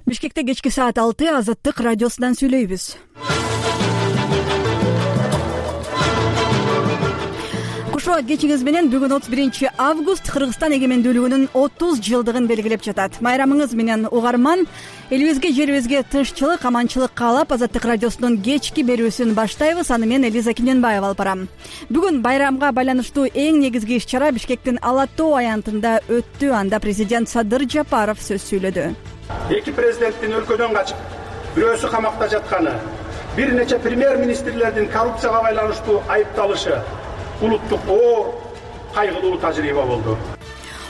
Бишкекте кечки саат 6 Азаттык радиосунан сүйлөйбүз. Куш убакыт кечиңиз менен бүгүн 31 август Кыргызстан эгемендүүлүгүнүн 30 жылдыгын белгилеп жатат. Майрамыңыз менен угарман, элибизге, жерибизге тынччылык, аманчылык каалап Азаттык радиосунун кечки берүүсүн баштайбыз. Аны мен Элиза Кененбаева алып барам. Бүгүн байрамга байланыштуу эң негизги иш-чара Бишкектин Ала Тоо аянтында өттү. Анда президент Садыр Жапаров сөз сүйлөдү. Эки президенттин өлкөдөн качып, бирөөсү камакта жатканы, бир нече премьер-министрлердин коррупцияга байланыштуу айыпталышы улуттук оор кайгылуу тажрыйба болду.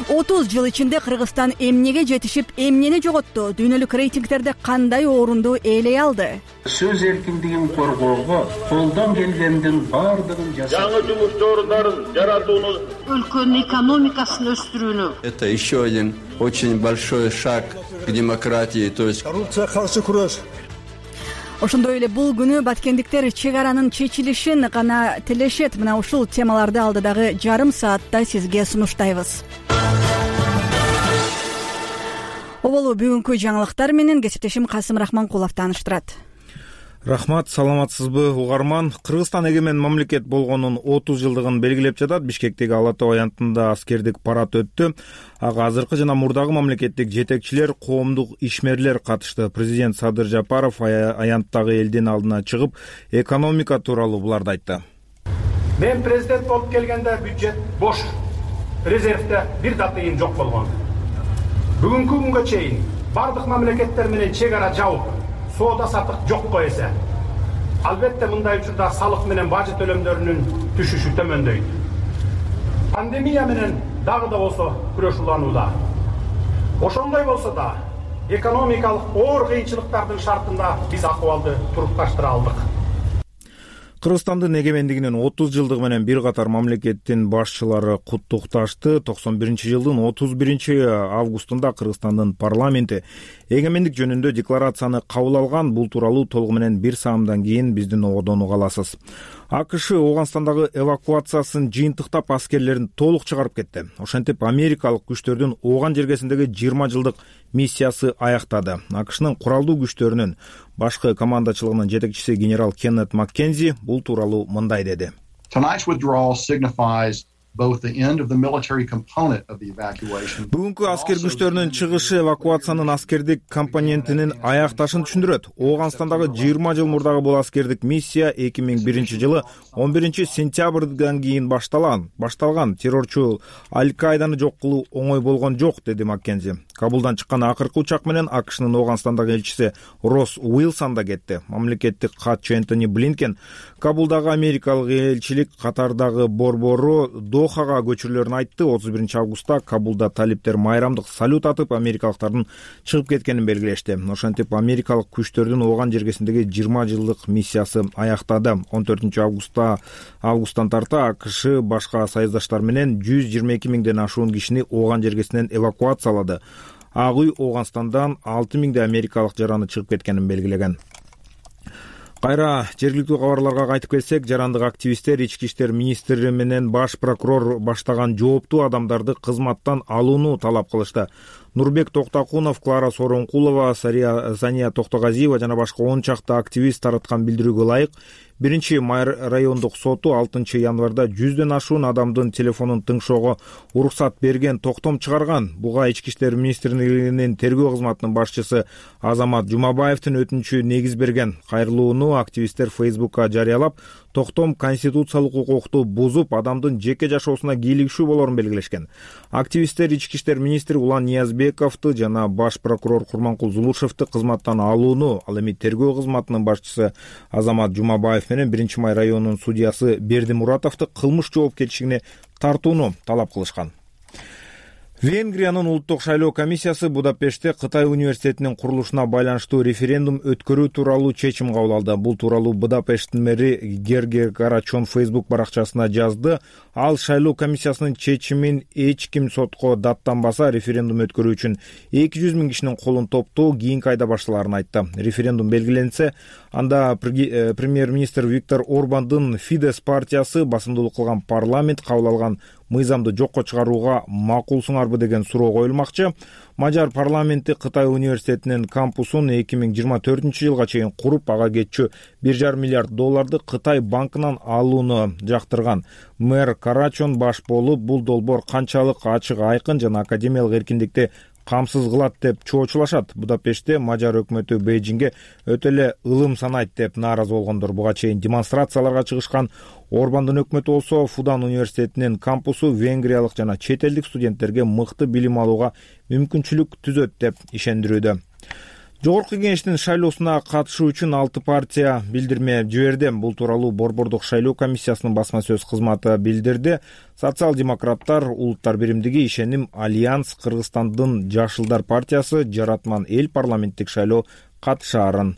30 жыл ичинде Кыргызстан эмнеге жетишип, эмнени жоготту? Дүйнөлүк рейтингтерде кандай орунду ээлей алды? Сөз эркиндигин коргоого колдон келгендин бардыгын жасап, жаңы жумуш орундарын жаратууну, өлкөнүн экономикасын өстүрүүнү. Это еще один очень большой шаг к демократии, то есть коррупцияга каршы күрөш. Ошондой эле бул күнү баткендиктер чек аранын чечилишин гана тилешет. Мына ушул темаларды алдыдагы жарым саатта сизге сунуштайбыз. Оболу бүгүнкү жаңылыктар менен кесиптешим Касым Рахманкулов тааныштырат. Рахмат, саламатсызбы угарман? Кыргызстан эгемен мамлекет болгонун 30 жылдыгын белгилеп жатат. Бишкектеги Ала Тоо аянтында аскердик парад өттү. Ага азыркы жана мурдагы мамлекеттик жетекчилер, коомдук ишмерлер катышты. Президент Садыр Жапаров аянттагы элдин алдына чыгып, экономика тууралуу буларды айтты. Мен президент болуп келгенде бюджет бош, резервде бир да тыйын жок болгон. Бүгүнкү күнгө чейин бардык мамлекеттер менен чек ара жабып, соода сатык жокко эсе. Албетте мындай учурда салык менен бажы төлөмдөрүнүн түшүшү төмөндөйт. Пандемия менен дагы да болсо күрөшүүлөнүүдө. Ошондой болсо да экономикалык оор кыйынчылыктардын шартында биз акыбалды турукташтыра алдык. Кыргызстандын эгемендигинин 30 жылдыгы менен бир катар мамлекеттин башчылары куттукташты. 91-жылдын 31 августунда Кыргызстандын парламенти эгемендик жөнүндө декларацияны кабыл алган. Бул тууралуу толугу менен бир саамдан кийин биздин ободон уга аласыз. АКШ Ооганстандагы эвакуациясын жыйынтыктап аскерлерин толук чыгарып кетти. Ошентип америкалык күчтөрдүн Ооган жергесиндеги 20 жылдык миссиясы аяктады. АКШнын куралдуу күчтөрүнүн башкы командачылыгынын жетекчиси генерал Кеннет Маккензи бул тууралуу мындай деди. Бүгүнкү аскер күчтөрүнүн чыгышы эвакуациянын аскердик компонентинин аякташын түшүндүрөт. Ооганстандагы 20 жыл мурдагы бул аскердик миссия 2001 жылы 11 сентябрдан кийин башталган. Террорчу Аль-Каиданы жок кылуу оңой болгон жок, деди Маккензи. Кабулдан чыккан акыркы учак менен АКШнын Ооганстандагы элчиси Росс Уилсон да кетти. Мамлекеттик катчы Энтони Блинкен Кабулдагы америкалык элчилик катардагы борбору Дохага көчүрүлөрүн айтты. 31 августта Кабулда талиптер майрамдык салют атып, америкалыктардын чыгып кеткенин белгилешти. Ошентип америкалык күчтөрдүн Ооган жергесиндеги 20 жылдык миссиясы аяктады. 14 августтан тарта АКШ башка союздаштар менен 122 миңден ашуун кишини Ооган жергесинен эвакуациялады. Ак үй Ооганстандан 6 миңдей америкалык жараны чыгып кеткенин белгилеген. Кайра жергиликтүү кабарларга кайтып келсек, жарандык активисттер ички иштер министри менен баш прокурор баштаган жооптуу адамдарды кызматтан алууну талап кылышты. Нурбек Токтокунов, Клара Соронкулова, Сания Токтогазиева жана башка 10 чакты активист тараткан билдирүүгө ылайык 1-Май райондук соту 6 январда 100дөн ашуун адамдын телефонун тыңшоого уруксат берген, токтом чыгарган. Буга ички иштер министрлигинин тергөө кызматынын башчысы Азамат Жумабаевдин өтүнүчү негиз берген. Кайрылууну активисттер Facebook'ка жарыялап, токтом конституциялык укукту бузуп, адамдын жеке жашоосуна кийлигишүү болорун белгилешкен. Активисттер ички иштер министри Улан Ниязбековду жана баш прокурор Курманкул Зулушевду кызматтан алууну, ал эми тергөө кызматынын башчысы Азамат Жумабаев менен 1-Май районунун судьясы Берди Муратовду кылмыш жоопкерчилигине тартууну талап кылышкан. Венгриянын улуттук шайлоо комиссиясы Будапештте Кытай университетинин курулушуна байланыштуу референдум өткөрүү тууралуу чечим кабыл алды. Бул тууралуу Будапешттин мэри Гергер Карачон Facebook баракчасына жазды. Ал шайлоо комиссиясынын чечимин эч ким сотко даттанбаса, референдум өткөрүү үчүн 200 миң кишинин колун топтоо кийинки айда башталарын айтты. Референдум белгиленсе, анда премьер-министр Виктор Орбандын Фидес партиясы басымдуулук кылган парламент кабыл алган мыйзамды жокко чыгарууга макулсуңарбы деген суроо коюлмакчы. Мажар парламенти Кытай университетинин кампусун 2024-жылга чейин куруп, ага кетчү $1,5 миллиард Кытай банкынан алууну жактырган. Мэр Карачон баш болуп, бул долбоор канчалык ачык, айкын жана академиялык эркиндикти камсыз кылат деп чоочулашат. Будапештте мажар өкмөтү Бейжиңге өтө эле ылым санайт деп нааразы болгондор. Буга чейин демонстрацияларга чыгышкан Орбандын өкмөтү болсо Фудан университетинин кампусу венгриялык жана чет элдик студенттерге мыкты билим алууга мүмкүнчүлүк түзөт деп ишендирүүдө. Жогорку кеңештин шайлоосуна катышуу үчүн 6 партия билдирме жиберди. Бул тууралуу Борбордук шайлоо комиссиясынын басма сөз кызматы билдирди. Социал-демократтар, Улуттар биримдиги, Ишеним, Альянс, Кыргызстандын Жашылдар партиясы, Жаратман эл парламенттик шайлоо катышаарын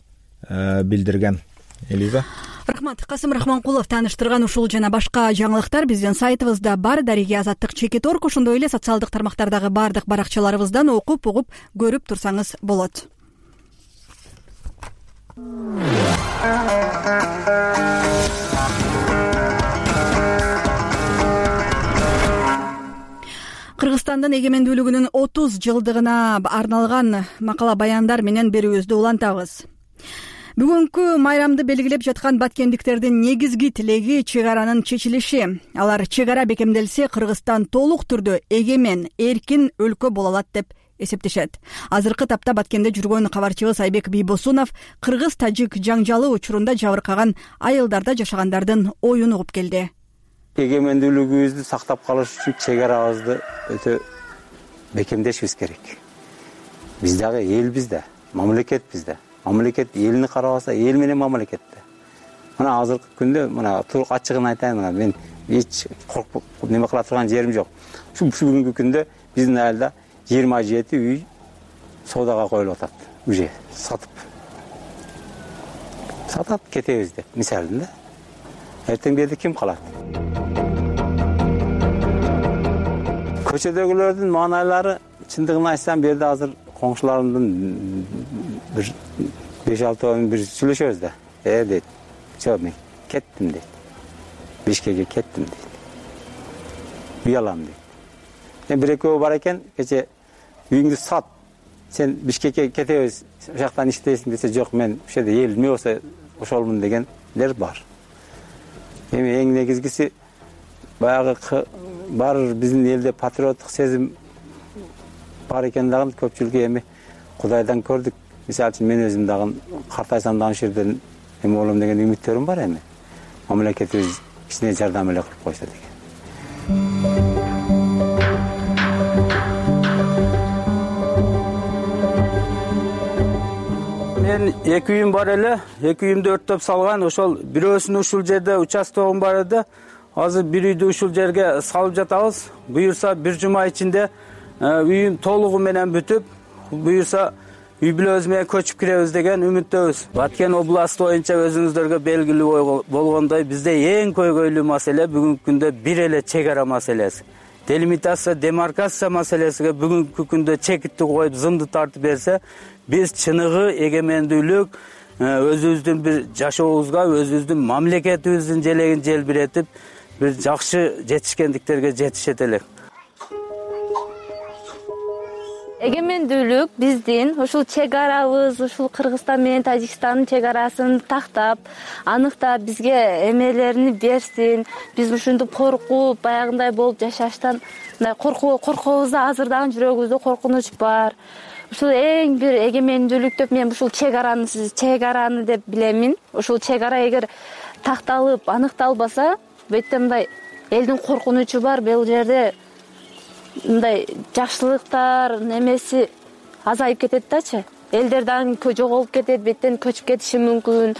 билдирген. Элиза. Рахмат. Касым Рахманкулов тааныштырган ушул жана башка жаңылыктар биздин сайтыбызда бар. Дариги Азаттык /Орг, ошондой эле социалдык тармактардагы бардык баракчаларыбыздан окуп, угуп, көрүп турсаңыз болот. Кыргызстандын эгемендүүлүгүнүн 30 жылдыгына арналган макала баяндар менен берүүбүздү улантабыз. Бүгүнкү майрамды белгилеп жаткан баткендиктердин негизги тилеги чек аранын чечилиши. Алар чек ара бекемделсе, Кыргызстан толук түрдө эгемен, эркин өлкө боло алат деп эсептешет. Азыркы тапта Баткенде жүргөн кабарчыбыз Айбек Бийбосунов кыргыз-тажик жаңжалы учурунда жабыркаган айылдарда жашагандардын оюн угуп келди. Эгемендүүлүгүбүздү сактап калыш үчүн чек арабызды өтө бекемдешибиз керек. Биз дагы элбиз да, мамлекетпиз да. Мамлекет элини карабаса, эл менен мамлекетте. Мына азыркы күндө мына турук ачыгын айтайын, мына мен эч коркуп неме кыла турган жерим жок. Ушу бүгүнкү күндө биздин айылда 27 үй соодага коюлуп атат. Уже сатып кетебиз деп мисалында. Эртең берди ким калат? Көчөдөгүлөрдүн маанайлары чындыгын айтсам, берди азыр коңшуларымдын бир 5-6 бир сүйлөшөбүз да. Дейт. Жок, мен кеттим дейт. Бишкекке кеттим дейт. Уялам дейт. Мен бир экөө бар экен, кече үйүңдү сат. Сен Бишкекке кетебиз, ошол жактан иштейсиң десе, жок, мен ошол жерде эл эме болсо ошолмун дегендер бар. Эми эң негизгиси баягы бар биздин элде патриоттук сезим бар экен дагы көпчүлүккө эми Кудайдан көрдүк. Мисалы үчүн мен өзүм дагы картайсам да ошол жерден эме болом деген үмүттөрүм бар эми. Мамлекетибиз кичине жардам эле кылып койсо деген. Мен 2 үйүм бар эле, 2 үйүмдү өрттөп салган. Ошол бирөөсүн ушул жерде участогум бар эди. Азыр бир үйдү ушул жерге салып жатабыз. Буюрса бир жума ичинде үйүм толугу менен бүтүп, буюрса үй бүлөбүз менен көчүп киребиз деген үмүттөбүз. Баткен областы боюнча өзүңүздөргө белгилүү болгондой, бизде эң көйгөйлүү маселе бүгүнкү күндө бир эле чек ара маселеси. Делимитация, демаркация маселесиге бүгүнкү күндө чекитти коюп, зымды тартып берсе, биз чыныгы эгемендүүлүк өзүбүздүн бир жашообузга, өзүбүздүн мамлекетибиздин желегин желбиретип, бир жакшы жетишкендиктерге жетишет элек. Эгемендүүлүк биздин ушул чек арабыз, ушул Кыргызстан менен Тажикстандын чек арасын тактап, аныктап бизге эмелерин берсин. Биз ушинтип коркуп, баягындай болуп жашаштан коркобуз да, азыр дагы жүрөгүбүздө коркунуч бар. Ушул эң бир эгемендүүлүк деп мен ушул чек араны деп билемин. Ушул чек ара эгер такталып, аныкталбаса, бетте мындай элдин коркунучу бар, бул жерде мындай жакшылыктар немеси азайып кетет дачы. Элдер дагы жоголуп кетет, беттен көчүп кетиши мүмкүн.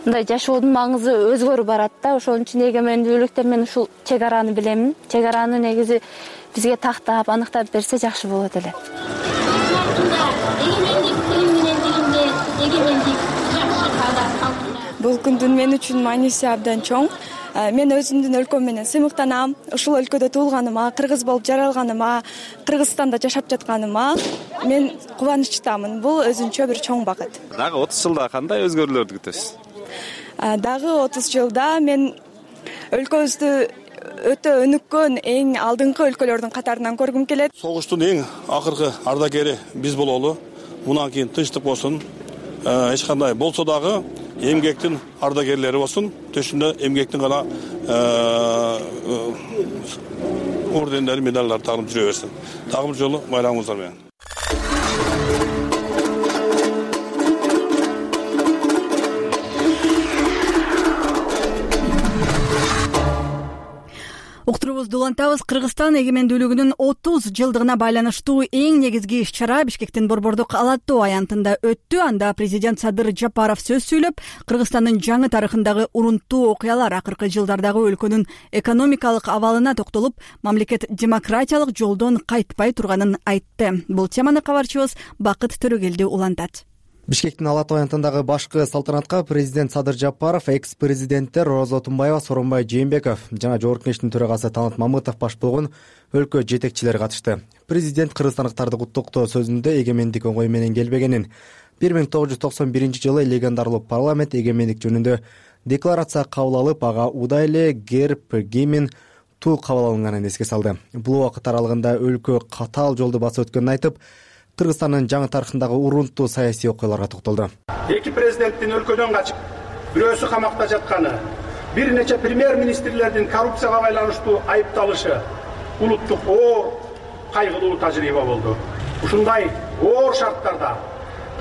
Мындай жашоодун маңызы өзгөрүп барат да. Ошон үчүн эгемендүүлүк деп мен ушул чек араны билемин. Чек араны негизи бизге тактап, аныктап берсе жакшы болот эле. Бул күндүн мен үчүн мааниси абдан чоң. Мен өзүмдүн өлкөм менен сыймыктанам. Ушул өлкөдө туулганыма, кыргыз болуп жаралганыма, Кыргызстанда жашап жатканыма мен кубанычтамын. Бул өзүнчө бир чоң бакыт. Дагы 30 жылда кандай өзгөрүүлөрдү күтөсүз? Дагы 30 жылда мен өлкөбүздү өтө өнүккөн эң алдыңкы өлкөлөрдүн катарынан көргүм келет. Согуштун эң акыркы ардагери биз бололу. Мындан кийин тынчтык болсун. Эч кандай болсо дагы эмгектин ардагерлери болсун. Төшүндө эмгектин гана ордендер, медалдар тагып жүрө берсин. Дагы бир жолу байрамыңыздар менен. Уктуруубузду улантабыз. Кыргызстан эгемендүүлүгүнүн 30 жылдыгына байланыштуу эң негизги иш-чара Бишкектин Борбордук Ала Тоо аянтында өттү. Анда президент Садыр Жапаров сөз сүйлөп, Кыргызстандын жаңы тарыхындагы урунттуу окуялар, акыркы жылдардагы өлкөнүн экономикалык абалына токтолуп, мамлекет демократиялык жолдон кайтпай турганын айтты. Бул теманы кабарчыбыз Бакыт Төрөгелди улантат. Бишкектин Ала Тоо аянтындагы башкы салтанатка президент Садыр Жапаров, экс-президенттер Роза Отунбаева, Сооронбай Жээнбеков жана Жогорку Кеңештин төрагасы Талант Мамытов баш болгон өлкө жетекчилери катышты. Президент кыргызстандыктарды куттуктоо сөзүндө эгемендик оңой менен келбегенин, 1991 жылы легендарлуу парламент эгемендик жөнүндө декларация кабыл алып, ага удай эле герб, гимн, ту кабыл алынганын эске салды. Бул убакыт аралыгында өлкө катаал жолду басып өткөнүн айтып, Кыргызстандын жаңы тарыхындагы урунттуу саясий окуяларга токтолду. Эки президенттин өлкөдөн качып, бирөөсү камакта жатканы, бир нече премьер-министрлердин коррупцияга байланыштуу айыпталышы улуттук оор кайгылуу тажрыйба болду. Ушундай оор шарттарда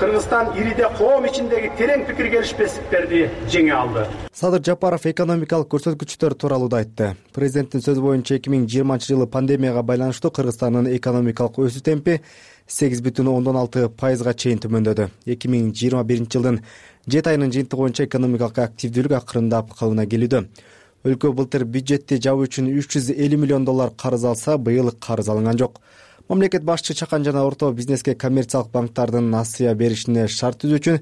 Кыргызстан ириде коом ичиндеги терең пикир келишпестиктерди жеңе алды. Садыр Жапаров экономикалык көрсөткүчтөр тууралуу да айтты. Президенттин сөзү боюнча 2020 жылы пандемияга байланыштуу Кыргызстандын экономикалык өсүү темпи 8,6% чейин төмөндөдү. 2021 жылдын 7 айынын жыйынтыгы боюнча экономикалык активдүүлүк акырындап калыбына келүүдө. Өлкө былтыр бюджетти жабуу үчүн $350 миллион карыз алса, быйыл карыз алынган жок. Мамлекет башчы чакан жана орто бизнеске коммерциялык банктардын насыя беришине шарт түзүү үчүн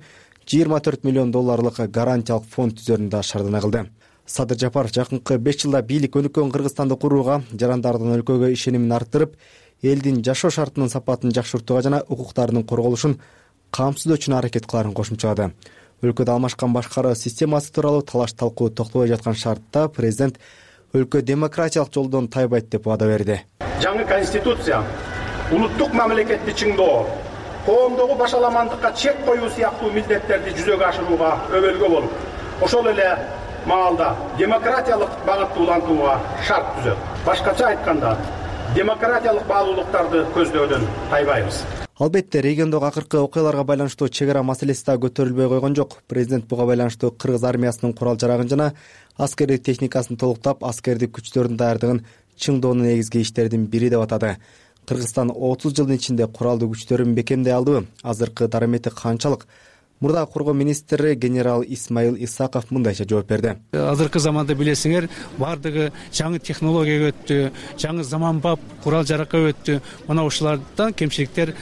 $24 миллион гарантиялык фонд түзөрүн да шаардана кылды. Садыр Жапаров жакынкы 5 жылда бийлик өнүккөн Кыргызстанды курууга, жарандардын өлкөгө ишенимин арттырып, элдин жашоо шартынын сапатын жакшыртууга жана укуктарынын корголушун камсыздоо үчүн аракет кыларын кошумчалады. Өлкөдө алмашкан башкаруу системасы тууралуу талаш талкуу токтобой жаткан шартта президент өлкө демократиялык жолдон тайбайт деп вада берди. Жаңы конституция улуттук мамлекетти чыңдоо, коомдогу башаламандыкка чек коюу сыяктуу милдеттерди жүзөгө ашырууга өбөлгө болуп, ошол эле маалда демократиялык багытты улантууга шарт түзөт. Башкача айтканда, демократиялык баалуулуктарды көздөөдөн тайбайбыз. Албетте, региондогу акыркы окуяларга байланыштуу чек ара маселеси да көтөрүлбөй койгон жок. Президент буга байланыштуу кыргыз армиясынын курал-жарагын жана аскердик техникасын толуктап, аскердик күчтөрдүн даярдыгын чыңдоонун негизги иштердин бири деп атады. Кыргызстан 30 жылдын ичинде куралдуу күчтөрүн бекемдей алдыбы? Азыркы дарамети канчалык? Мурда коргоо министри генерал Исмаил Исаков мындайча жооп берди. Азыркы заманда билесиңер, бардыгы жаңы технологияга өттү, жаңы заманбап курал жаракка өттү. Мына ушулардан кемчиликтер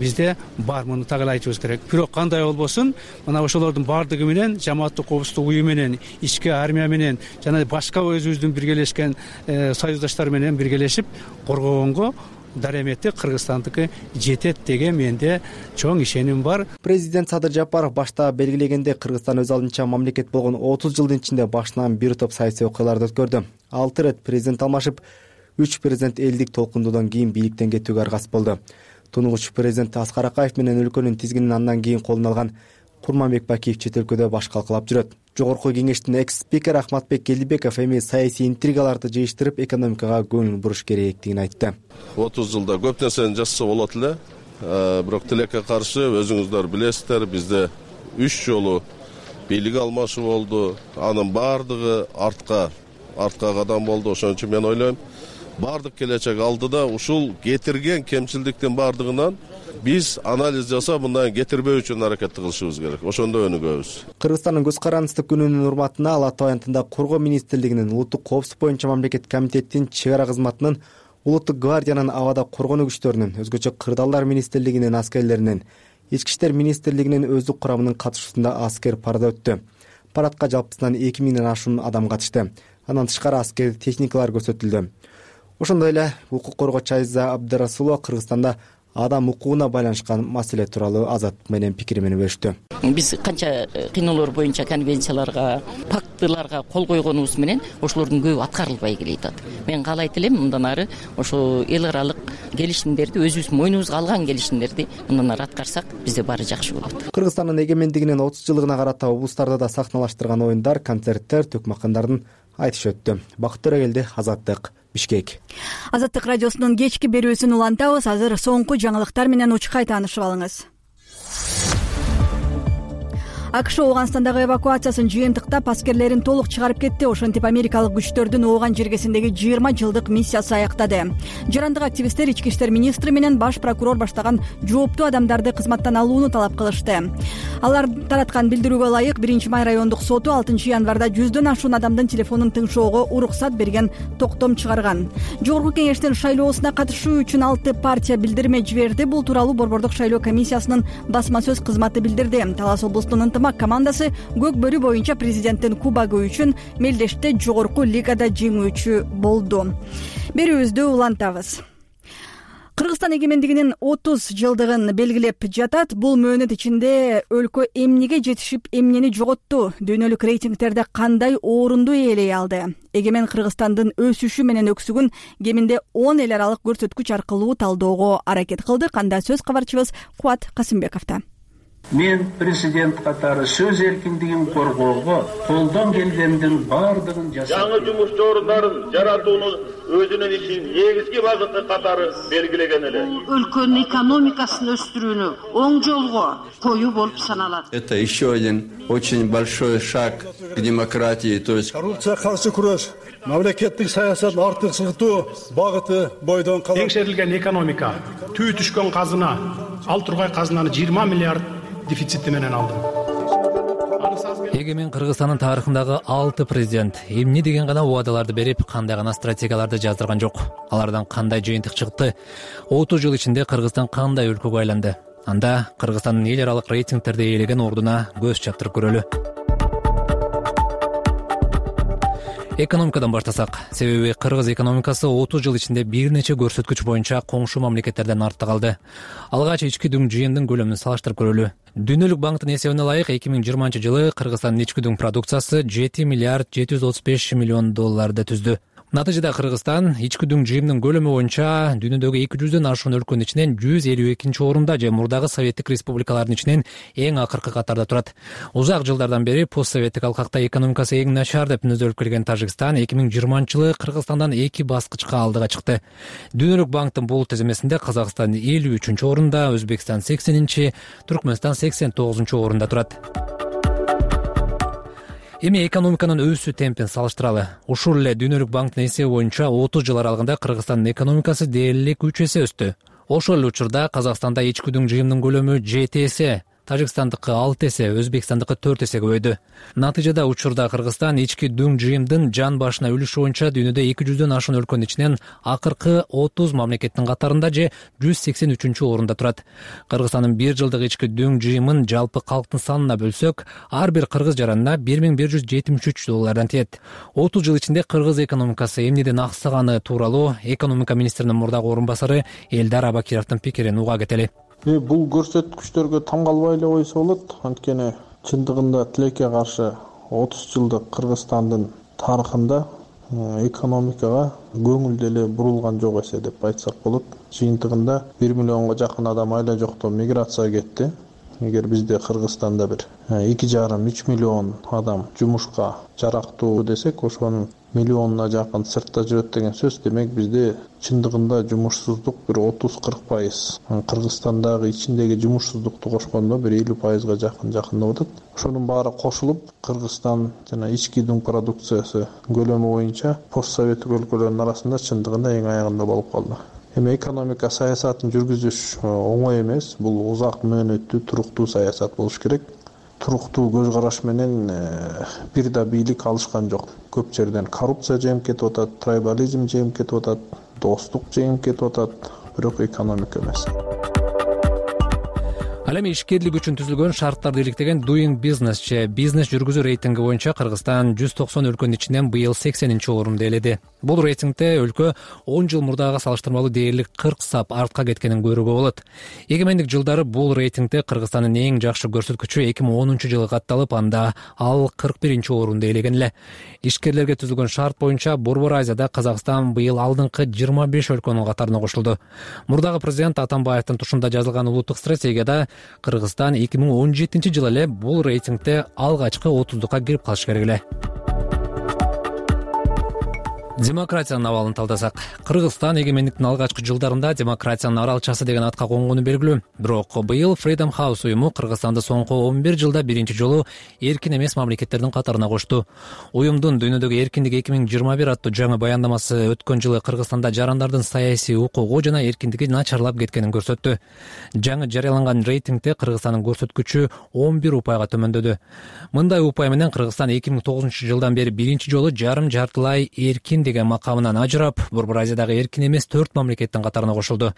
бизде бар, муну так айтыбыз керек. Бирок кандай болбосун, мына ошолордун бардыгы менен жамааттык коопсуздук уюу менен, ички армия менен жана башка өзүбүздүн биргелешкен союздаштар менен биргелешип коргогонго дарамети Кыргызстандыкы жетет деген менде чоң ишеним бар. Президент Садыр Жапаров башта белгилегенде, Кыргызстан өз алдынча мамлекет болгон 30 жылдын ичинде башынан бир топ саясий окуяларды өткөрдү. 6 ирет президент алмашып, 3 президент элдик толкундуудан кийин бийликтен кетүүгө аргасыз болду. Тунугуч президент Аскар Акаев менен өлкөнүн тизгинин андан кийин колуна алган Курманбек Бакиев чет өлкөдө баш калкалап жүрөт. Жогорку кеңештин экс-спикери Ахматбек Келдибеков эми саясий интригаларды жыйыштырып, экономикага көңүл буруш керектигин айтты. 30 жылда көп нерсени жасаса болот эле, бирок тилекке каршы өзүңүздөр билесиздер, бизде 3 жолу бийлик алмашуу болду. Анын бардыгы артка кадам болду. Ошон үчүн мен ойлойм, бардык келечек алдыда ушул кетирген кемчилдиктин бардыгынан биз анализ жасап, мындан кетирбөө үчүн аракет кылышыбыз керек. Ошондо өнүгөбүз. Кыргызстандын көз карандыстык күнүнүн урматына Ала Тоо аянтында Коргоо министрлигинин, Улуттук коопсуздук боюнча мамлекеттик комитеттин, чек ара кызматынын, Улуттук гвардиянын, абада коргонуу күчтөрүнүн, өзгөчө кырдаалдар министрлигинин аскерлеринин, Ички иштер министрлигинин өздүк курамынын катышуусунда аскер парада өттү. Парадка жалпысынан 2000ден ашуун адам катышты. Андан тышкары аскер техникалар көрсөтүлдү. Ошондой эле укук коргоочу Айза Абдырасулова Кыргызстанда адам укугуна байланышкан маселе тууралуу Азат менен пикирин бөлүштү. Биз канча кыйноолор боюнча конвенцияларга, пактыларга кол койгонубуз менен ошолордун көбү аткарылбай келатат. Мен каалайт элем мындан ары ошо эл аралык келишимдерди, өзүбүз мойнубузга алган келишимдерди мындан ары аткарсак бизде баары жакшы болот. Кыргызстандын эгемендигинин 30 жылдыгына карата облустарда да сахналаштырган оюндар, концерттер, төкмакандардын айтышы өттү. Бакыт Төрөгелди, Азаттык, Бишкек. Азаттык радиосунун кечки берүүсүн улантабыз. Азыр соңку жаңылыктар менен учкай таанышып алыңыз. АКШ Ооганстандагы эвакуациясын жыйынтыктап аскерлерин толук чыгарып кетти. Ошентип америкалык күчтөрдүн Ооган жергесиндеги 20 жылдык миссиясы аяктады. Жарандык активисттер ички иштер министри менен баш прокурор баштаган жооптуу адамдарды кызматтан алууну талап кылышты. Алар тараткан билдирүүгө ылайык 1-Май райондук соту 6 январда 100дөн ашуун адамдын телефонун тыңшоого уруксат берген токтом чыгарган. Жогорку кеңештин шайлоосуна катышуу үчүн 6 партия билдирме жиберди. Бул тууралуу Борбордук шайлоо комиссиясынын басма сөз кызматы билдирди. Талас облустунун командасы көк бөрү боюнча президенттин кубагы үчүн мелдеште жогорку лигада жеңүүчү болду. Берүүбүздү улантабыз. Кыргызстан эгемендигинин 30 жылдыгын белгилеп жатат. Бул мөөнөт ичинде өлкө эмнеге жетишип, эмнени жоготту? Дүйнөлүк рейтингтерде кандай орунду ээлей алды? Эгемен Кыргызстандын өсүшү менен өксүгүн кеминде 10 эл аралык көрсөткүч аркылуу талоого аракет кылдык. Анда сөз кабарчыбыз Кубат Касымбековдо. Мен президент катары сөз эркиндигин коргоого колдон келгендин бардыгын жасап, жаңы жумуш орундарын жаратууну өзүнүн ишин негизги багыты катары белгилеген эле. Өлкөнүн экономикасын өстүрүүнү оң жолго коюу болуп саналат. Это еще один очень большой шаг к демократии, то есть коррупцияга каршы күрөш, мамлекеттик саясатын артыкчылыктуу багыты бойдон калат. Теңшерилген экономика, түү түшкөн казына, ал тургай казынаны 20 миллиард дефицити менен алдым. Эгемен Кыргызстандын тарыхындагы 6 президент эмне деген гана убадаларды берип, кандай гана стратегияларды жаздырган жок. Алардан кандай жыйынтык чыкты? 30 жыл ичинде Кыргызстан кандай өлкөгө айланды? Анда Кыргызстандын эл аралык рейтингтерде ээлеген ордуна көз чаптырып көрөлү. Экономикадан баштасак, себеби кыргыз экономикасы 30 жыл ичинде бир нече көрсөткүч боюнча коңшу мамлекеттерден артта калды. Алгач ички дүң жыйындын көлөмүн салыштырып көрөлү. Дүйнөлүк банктын эсебине ылайык 2020 жылы Кыргызстандын ички дүң продукциясы 7 миллиард 735 миллион долларды түздү. Натыйжада Кыргызстан ички дүң жыйымдын көлөмү боюнча дүйнөдөгү 200дөн ашуун өлкөнүн ичинен 152 орунда же мурдагы советтик республикалардын ичинен эң акыркы катарда турат. Узак жылдардан бери постсоветтик алкакта экономикасы эң начар деп мүнөздөлүп келген Тажикстан 2020 жылы Кыргызстандан 2 баскычка алдыга чыкты. Дүйнөлүк банктын бул тизмесинде Казакстан 53 орунда, Өзбекстан 80, Түркмөнстан 89 орунда турат. Эми экономиканын өсүү темпин салыштыралы. Ушул эле Дүйнөлүк банктын эсеби боюнча 30 жыл аралыгында Кыргызстандын экономикасы дээрлик 3 эсе өстү. Ошол эле учурда Казакстанда ички дүң жыйымдын көлөмү 7 эсе, Тажикстандыкы 6 эсе, Өзбекстандыкы 4 эсе көбөйдү. Натыйжада учурда Кыргызстан ички дүң жыйымдын жан башына үлүшү боюнча дүйнөдө 200дөн ашуун өлкөнүн ичинен акыркы 30 мамлекеттин катарында же 183 орунда турат. Кыргызстандын 1 жылдык ички дүң жыйымын жалпы калктын санына бөлсөк, ар бир кыргыз жаранына $1173 тиет. 30 жыл ичинде кыргыз экономикасы эмнеден аксаганы тууралуу экономика министринин мурдагы орун басары Элдар Абакировдун пикирин уга кетели. Бул көрсөткүчтөргө таң калбай эле койсо болот. Анткени чындыгында тилекке каршы 30 жылдык Кыргызстандын тарыхында экономикага көңүл деле бурулган жок эсе деп айтсак болот. Жыйынтыгында 1 миллионго жакын адам айла жоктон миграцияга кетти. Эгер бизде Кыргызстанда бир 2,5-3 миллион адам жумушка жарактуу десек, ошонун миллионуна жакын сыртта жүрөт деген сөз. Демек бизде чындыгында жумушсуздук бир 30-40%. Кыргызстандагы ичиндеги жумушсуздукту кошкондо бир 50%га жакындап атат. Ошонун баары кошулуп, Кыргызстан жана ички дүң продукциясы көлөмү боюнча постсоветтик өлкөлөрдүн арасында чындыгында эң аягында болуп калды. Эми экономика саясатын жүргүзүш оңой эмес. Бул узак мөөнөттүү, туруктуу саясат болуш керек. Туруктуу көз караш менен бир да бийлик алышкан жок. Көп жерден коррупция жеңип кетип атат, трайбализм жеңип кетип атат, достук жеңип кетип атат, бирок экономика эмес. Ал эми ишкерлик үчүн түзүлгөн шарттарды иликтеген Doing Business же бизнес жүргүзүү рейтинги боюнча Кыргызстан 190 өлкөнүн ичинен быйыл 80-орунду ээледи. Бул рейтингде өлкө 10 жыл мурдагы салыштырмалуу дээрлик 40 сап артка кеткенин көрүүгө болот. Эгемендик жылдары бул рейтингде Кыргызстандын эң жакшы көрсөткүчү 2010-жылы катталып, анда ал 41-орунду ээлеген эле. Ишкерлерге түзүлгөн шарт боюнча Борбор Азияда Казакстан быйыл алдыңкы 25 өлкөнүн катарына кошулду. Мурдагы президент Атамбаевдин тушунда жазылган улуттук стратегияда Кыргызстан 2017-жылы эле бул рейтингде алгачкы 30дукка кирип калыш керек эле. Демократиянын абалын талдасак, Кыргызстан эгемендиктин алгачкы жылдарында демократиянын аралчасы деген атка конгону белгилүү. Бирок быйыл Freedom House уюму Кыргызстанды соңку 11 жылда биринчи жолу эркин эмес мамлекеттердин катарына кошту. Уюмдун дүйнөдөгү эркиндик 2021 аттуу жаңы баяндамасы өткөн жылы Кыргызстанда жарандардын саясий укугу жана эркиндиги начарлап кеткенин көрсөттү. Жаңы жарыяланган рейтингде Кыргызстандын көрсөткүчү 11 упайга төмөндөдү. Мындай упай менен Кыргызстан 2009-жылдан бери биринчи жолу жарым-жартылай эркин деген макамынан ажырап, Борбор Азиядагы эркин эмес 4 мамлекеттин катарына кошулду.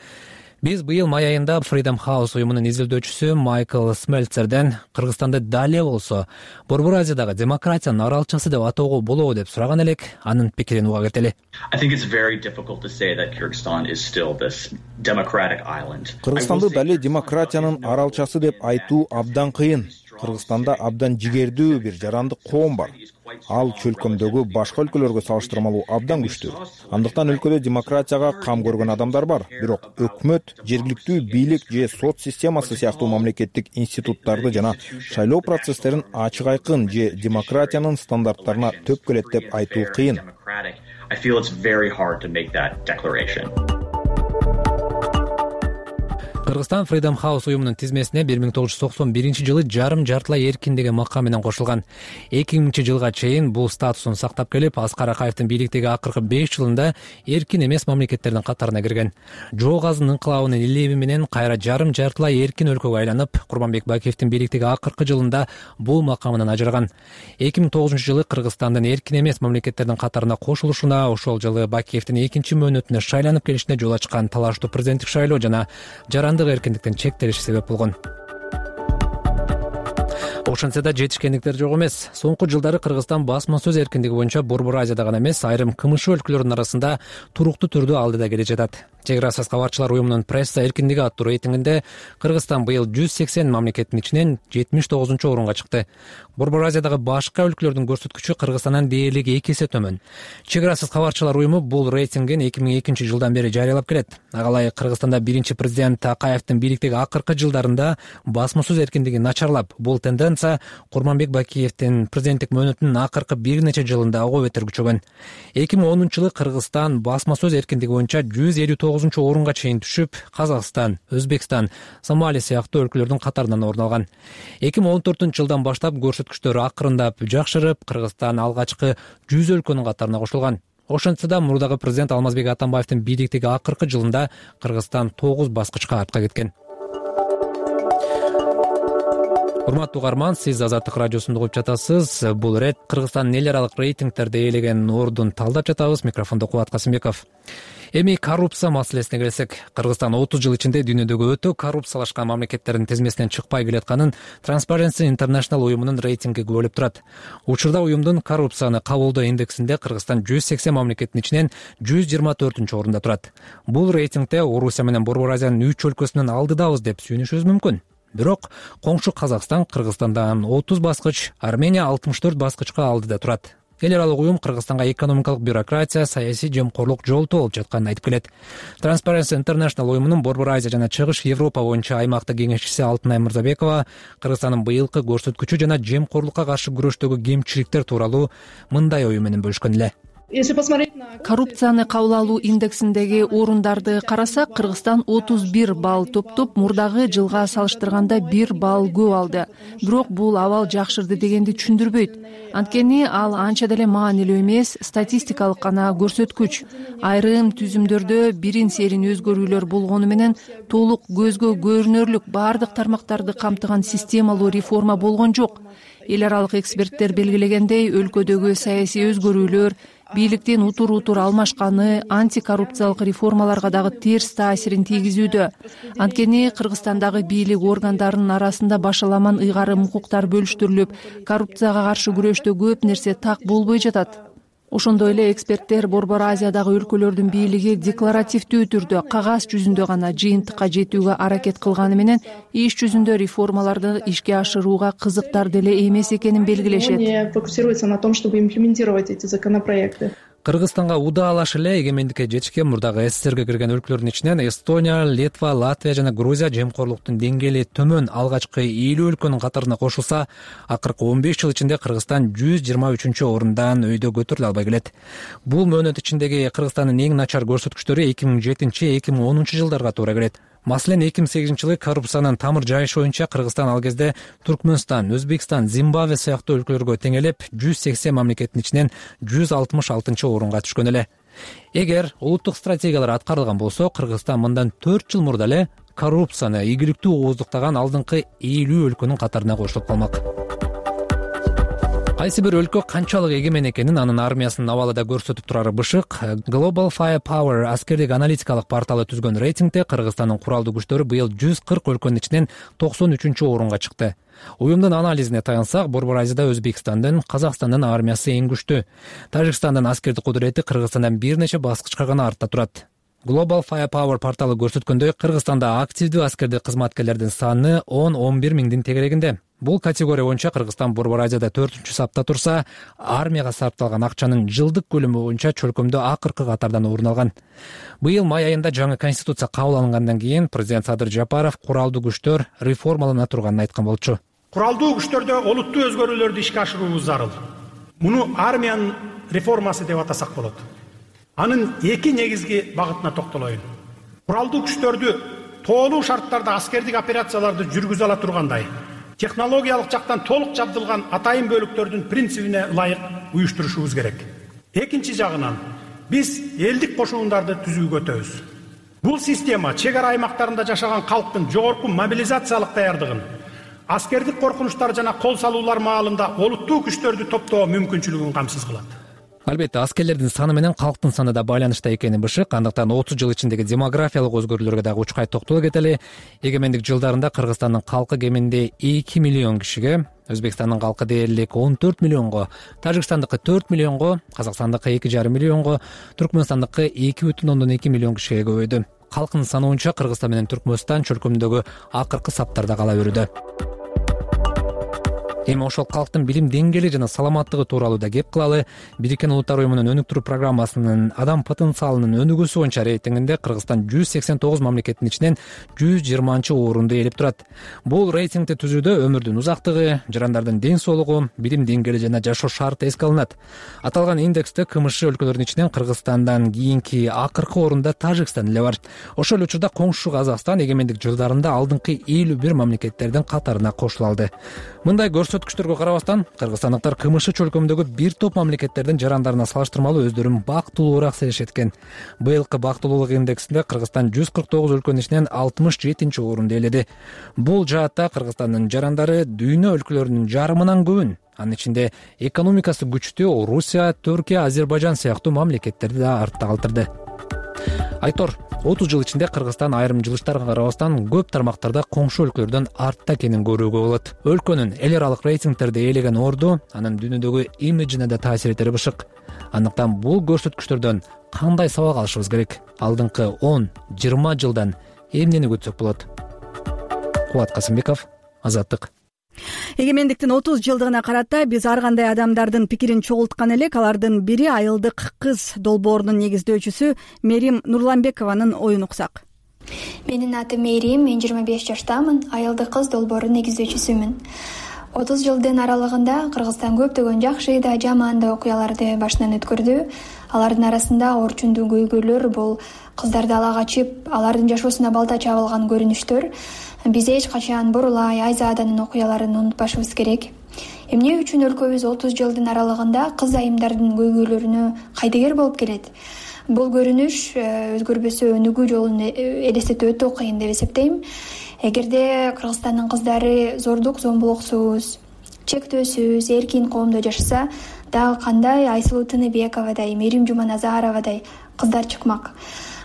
Биз быйыл май айында Freedom House уюмунун изилдөөчүсү Майкл Смельцерден Кыргызстанды дале болсо Борбор Азиядагы демократиянын аралчасы деп атоого болобу деп сураган элек, анын пикирин уга кетели. Кыргызстанды дале демократиянын аралчасы деп айтуу абдан кыйын. Кыргызстанда абдан жигердүү бир жарандык коом бар. Ал чөлкөмдөгү башка өлкөлөргө салыштырмалуу абдан күчтүү. Андыктан өлкөдө демократияга кам көргөн адамдар бар. Бирок өкмөт, жергиликтүү бийлик же сот системасы сыяктуу мамлекеттик институттарды жана шайлоо процесстерин ачык айкын же демократиянын стандарттарына төп келет деп айтуу кыйын. Кыргызстан Freedom House уюмунун тизмесине 1991-жылы жарым-жартылай эркин деген макам менен кошулган. 2000-жылга чейин бул статусун сактап келип, Аскар Акаевдин бийликтеги акыркы 5 жылында эркин эмес мамлекеттердин катарына кирген. Жоо Газынын инкылабынын илеби менен кайра жарым-жартылай эркин өлкөгө айланып, Курманбек Бакиевдин бийликтеги акыркы жылында бул макамынан ажыраган. 2009-жылы Кыргызстандын эркин эмес мамлекеттердин катарына кошулушуна, ошол жылы Бакиевдин экинчи мөөнөтүнө шайланып келишине жол ачкан талаштуу президенттик шайлоо жана эркиндиктин чектелиши себеп болгон. Ошентсе да жетишкендиктер жок эмес. Соңку жылдары Кыргызстан басма сөз эркиндиги боюнча Борбор Азияда гана эмес, айрым КМШ өлкөлөрүнүн арасында туруктуу түрдө алдыда келе жатат. Чек арасыз кабарчылар уюмунун пресса эркиндиги аттуу рейтингинде Кыргызстан быйыл 180 мамлекеттин ичинен 79-орунга чыкты. Борбор Азиядагы башка өлкөлөрдүн көрсөткүчү Кыргызстандан дээрлик 2 эсе төмөн. Чек арасыз кабарчылар уюму бул рейтингин 2002-жылдан бери жарыялап келет. Ага ылайык Кыргызстанда биринчи президент Акаевдин бийликтеги акыркы жылдарында басма сөз эркиндиги начарлап, бул тенденция Курманбек Бакиевдин президенттик мөөнөтүнүн акыркы бир нече жылында ого бетер күчөгөн. 2010-жылы Кыргызстан басма сөз эркиндиги боюнча 159-орунга чейин түшүп, Казакстан, Өзбекстан, Сомали сыяктуу өлкөлөрдүн катарынан орун алган. 2014-жылдан баштап көрсөткүчтөр акырындап жакшырып, Кыргызстан алгачкы 100 өлкөнүн катарына кошулган. Ошентсе да мурдагы президент Алмазбек Атамбаевдин бийликтеги акыркы жылында Кыргызстан 9 баскычка артка кеткен. Урматтуу угарман, сиз Азаттык радиосунда угуп жатасыз. Бул ирет Кыргызстандын эл аралык рейтингтерде ээлеген ордун талдап жатабыз. Микрофондо Кубат Касымбеков. Эми коррупция маселесине келсек, Кыргызстан 30 жыл ичинде дүйнөдөгү өтө коррупциялашкан мамлекеттердин тизмесинен чыкпай келатканын Transparency International уюмунун рейтинги күбөлөп турат. Учурда уюмдун коррупцияны кабылдоо индексинде Кыргызстан 180 мамлекеттин ичинен 124-орунда турат. Бул рейтингде Орусия менен Борбор Азиянын 3 өлкөсүнөн алдыдабыз деп сүйүнүшүбүз мүмкүн. Бирок коңшу Казакстан Кыргызстандан 30 баскыч, Армения 64 баскычка алдыда турат. Эл аралык уюм Кыргызстанга экономикалык бюрократия, саясий жемкорлук жолтоо болуп жатканын айтып келет. Transparency International уюмунун Борбор Азия жана Чыгыш Европа боюнча аймактык кеңешчиси Алтынай Мырзабекова Кыргызстандын быйылкы көрсөткүчү жана жемкорлукка каршы күрөштөгү кемчиликтер тууралуу мындай ою менен бөлүшкөн эле. Коррупцияны кабыл алуу индексиндеги орундарды карасак, Кыргызстан 31 балл топтоп, мурдагы жылга салыштырганда 1 балл көп алды. Бирок бул абал жакшырды дегенди түшүндүрбөйт. Анткени ал анча деле маанилүү эмес, статистикалык гана көрсөткүч. Айрым түзүмдөрдө бирин-серин өзгөрүүлөр болгону менен толук көзгө көрүнөрлүк бардык тармактарды камтыган системалуу реформа болгон жок. Эл аралык эксперттер белгилегендей, өлкөдөгү саясий өзгөрүүлөр, бийликтин утур алмашканы антикоррупциялык реформаларга дагы терс таасирин тийгизүүдө. Анткени Кыргызстандагы бийлик органдарынын арасында башаламан ыйгарым укуктар бөлүштүрүлүп, коррупцияга каршы күрөштө көп нерсе так болбой жатат. Ошондой эле эксперттер Борбор Азиядагы өлкөлөрдүн бийлиги декларативдүү түрдө, кагаз жүзүндө гана жыйынтыкка жетүүгө аракет кылганы менен иш жүзүндө реформаларды ишке ашырууга кызыктар деле эмес экенин белгилешет. Фокусируется на том, чтобы имплементировать эти законопроекты. Кыргызстанга удаалаш эле эгемендикке жетишкен мурдагы СССРге кирген өлкөлөрдүн ичинен Эстония, Литва, Латвия жана Грузия жемкорлуктун деңгээли төмөн алгачкы 50 өлкөнүн катарына кошулса, акыркы 15 жыл ичинде Кыргызстан 123-орундан өйдө көтөрүлө албай келет. Бул мөөнөт ичиндеги Кыргызстандын эң начар көрсөткүчтөрү 2007-2010 жылдарга туура келет. Маселен, 2008 жылы коррупциянын тамыр жайышы боюнча Кыргызстан ал кезде Туркмөнстан, Өзбекстан, Зимбабве сыяктуу өлкөлөргө теңелеп 180 мамлекеттин ичинен 166-орунга түшкөн эле. Эгер улуттук стратегиялар аткарылган болсо, Кыргызстан мындан 4 жыл мурда эле коррупцияны ийгиликтүү ооздуктаган алдыңкы 50 өлкөнүн катарына кошулуп калмак. Кайсы бир өлкө канчалык эгемен экенин анын армиясынын абалыда көрсөтүп турары бышык. Global Firepower аскердик аналитикалык порталы түзгөн рейтингде Кыргызстандын куралдуу күчтөрү быйыл 140 өлкөнүн ичинен 93-орунга чыкты. Уюмдун анализине таянсак, Борбор Азияда Өзбекстандын, Казакстандын армиясы эң күчтүү. Тажикстандын аскердик кудурети Кыргызстандан бир нече баскычка гана артта турат. Global Firepower порталы көрсөткөндөй, Кыргызстанда активдүү аскердик кызматкерлердин саны 10-11 миңдин тегерегинде. Бул категория боюнча Кыргызстан Борбор Азияда 4-чү сапта турса, армияга сарпталган акчанын жылдык көлөмү боюнча чөлкөмдө акыркы катардан орун алган. Быйыл май айында жаңы конституция кабыл алынгандан кийин президент Садыр Жапаров куралдуу күчтөр реформалана турганын айткан болчу. Куралдуу күчтөрдө олуттуу өзгөрүүлөрдү ишке ашыруу зарыл. Муну армиянын реформасы деп атасак болот. Анын эки негизги багытына токтолоюн. Куралдуу күчтөрдү тоолуу шарттарда аскердик операцияларды жүргүзө ала тургандай, технологиялык жактан толук жабдылган атайын бөлүктөрдүн принцибине ылайык уюштурушубуз керек. Экинчи жагынан, биз элдик кошуундарды түзүүгө өтөбүз. Бул система чек ара аймактарында жашаган калктын жогорку мобилизациялык даярдыгын, аскердик коркунучтар жана кол салуулар маалында олуттуу күчтөрдү топтоо мүмкүнчүлүгүн камсыз кылат. Албетте, аскерлердин саны менен калктын саны да байланышта экени бышык. Андыктан 30 жыл ичиндеги демографиялык өзгөрүүлөргө дагы учкай токтоло кетели. Эгемендик жылдарында Кыргызстандын калкы кеминде 2 миллион кишиге, Өзбекстандын калкы дээрлик 14 миллионго, Тажикстандыкы 4 миллионго, Казакстандыкы 2,5 миллионго, Түркмөнстандыкы 2,2 миллион кишиге көбөйдү. Калкынын саны боюнча Кыргызстан менен Түркмөнстан чөлкөмүндөгү акыркы саптарда кала берүүдө. Эми ошол калктын билим деңгээли жана саламаттыгы тууралуу да кеп кылалы. Бириккен Улуттар уюмунун өнүктүрүү программасынын адам потенциалынын өнүгүүсү боюнча рейтингинде Кыргызстан 189 мамлекеттин ичинен 120-орунду ээлеп турат. Бул рейтингди түзүүдө өмүрдүн узактыгы, жарандардын ден соолугу, билим деңгээли жана жашоо шарты эске алынат. Аталган индексте КМШ өлкөлөрүнүн ичинен Кыргызстандан кийинки акыркы орунда Тажикстан эле бар. Ошол учурда коңшу Казакстан эгемендик жылдарында алдыңкы 51 мамлекеттердин катарына кошула алды. Мындай көрсөткүчтөргө карабастан, кыргызстандыктар КМШ чөлкөмүндөгү бир топ мамлекеттердин жарандарына салыштырмалуу өздөрүн бактылуураак сезишет экен. Быйылкы бактылуулук индексинде Кыргызстан 149 өлкөнүн ичинен 67-орунду ээледи. Бул жаатта Кыргызстандын жарандары дүйнө өлкөлөрүнүн жарымынан көбүн, анын ичинде экономикасы күчтүү Русия, Түркия, Азербайжан сыяктуу мамлекеттерди да артта калтырды. Айтор, 30 жыл ичинде Кыргызстан айрым жылыштарга карабастан көп тармактарда коңшу өлкөлөрдөн артта экенин көрүүгө болот. Өлкөнүн эл аралык рейтингтерде ээлеген орду анын дүйнөдөгү имиджине да таасир этери бышык. Андыктан бул көрсөткүчтөрдөн кандай сабак алышыбыз керек? Алдыңкы 10-20 жылдан эмнени күтсөк болот? Кубат Касымбеков, Азаттык. Эгемендиктин 30 жылдыгына карата биз ар кандай адамдардын пикирин чогулткан элек. Алардын бири айылдык кыз долбоорунун негиздөөчүсү Мерим Нурланбекованын оюн уксак. Менин атым Мерим, мен 25 жаштамын, айылдык кыз долбоорунун негиздөөчүсүмүн. 30 жылдын аралыгында Кыргызстан көптөгөн жакшы да жаман да окуяларды башынан өткөрдү. Алардын арасында орчундуу көйгөйлөр, бул кыздарды ала качып, алардын жашоосуна балта чабылган көрүнүштөр. Биз эч качан Борулай, Айзааданын окуяларын унутпашыбыз керек. Эмне үчүн өлкөбүз 30 жылдын аралыгында кыз айымдардын көйгөйлөрүнө кайдыгер болуп келет? Бул көрүнүш өзгөрбөсө өнүгүү жолун элестетүү өтө кыйын деп эсептейм. Эгерде Кыргызстандын кыздары зордук, зомбулуксуз, чектөөсүз, эркин коомдо жашаса, дагы кандай Айсулуу Тыныбековадай, Мерим Жуманазаровадай кыздар чыкмак.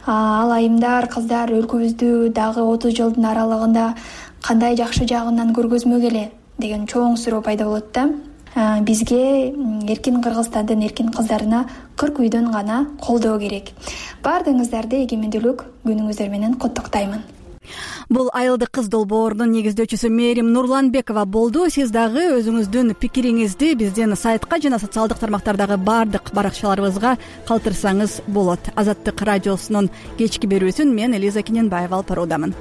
Ал айымдар, кыздар өлкөбүздү дагы 30 жылдын аралыгында кандай жакшы жагынан көргөзмөк эле деген чоң суроо пайда болот да. Бизге эркин Кыргызстандын эркин кыздарына 40 үйдөн гана колдоо керек. Баардыгыңыздарды эгемендүүлүк күнүңүздөр менен куттуктаймын. Бул айылдык кыз долбоорунун негиздөөчүсү Мерим Нурланбекова болду. Сиз дагы өзүңүздүн пикириңизди биздин сайтка жана социалдык тармактардагы баардык баракчаларыбызга калтырсаңыз болот. Азаттык радиосунун кечки берүүсүн мен Элиза Кененбаева алып баруудамын.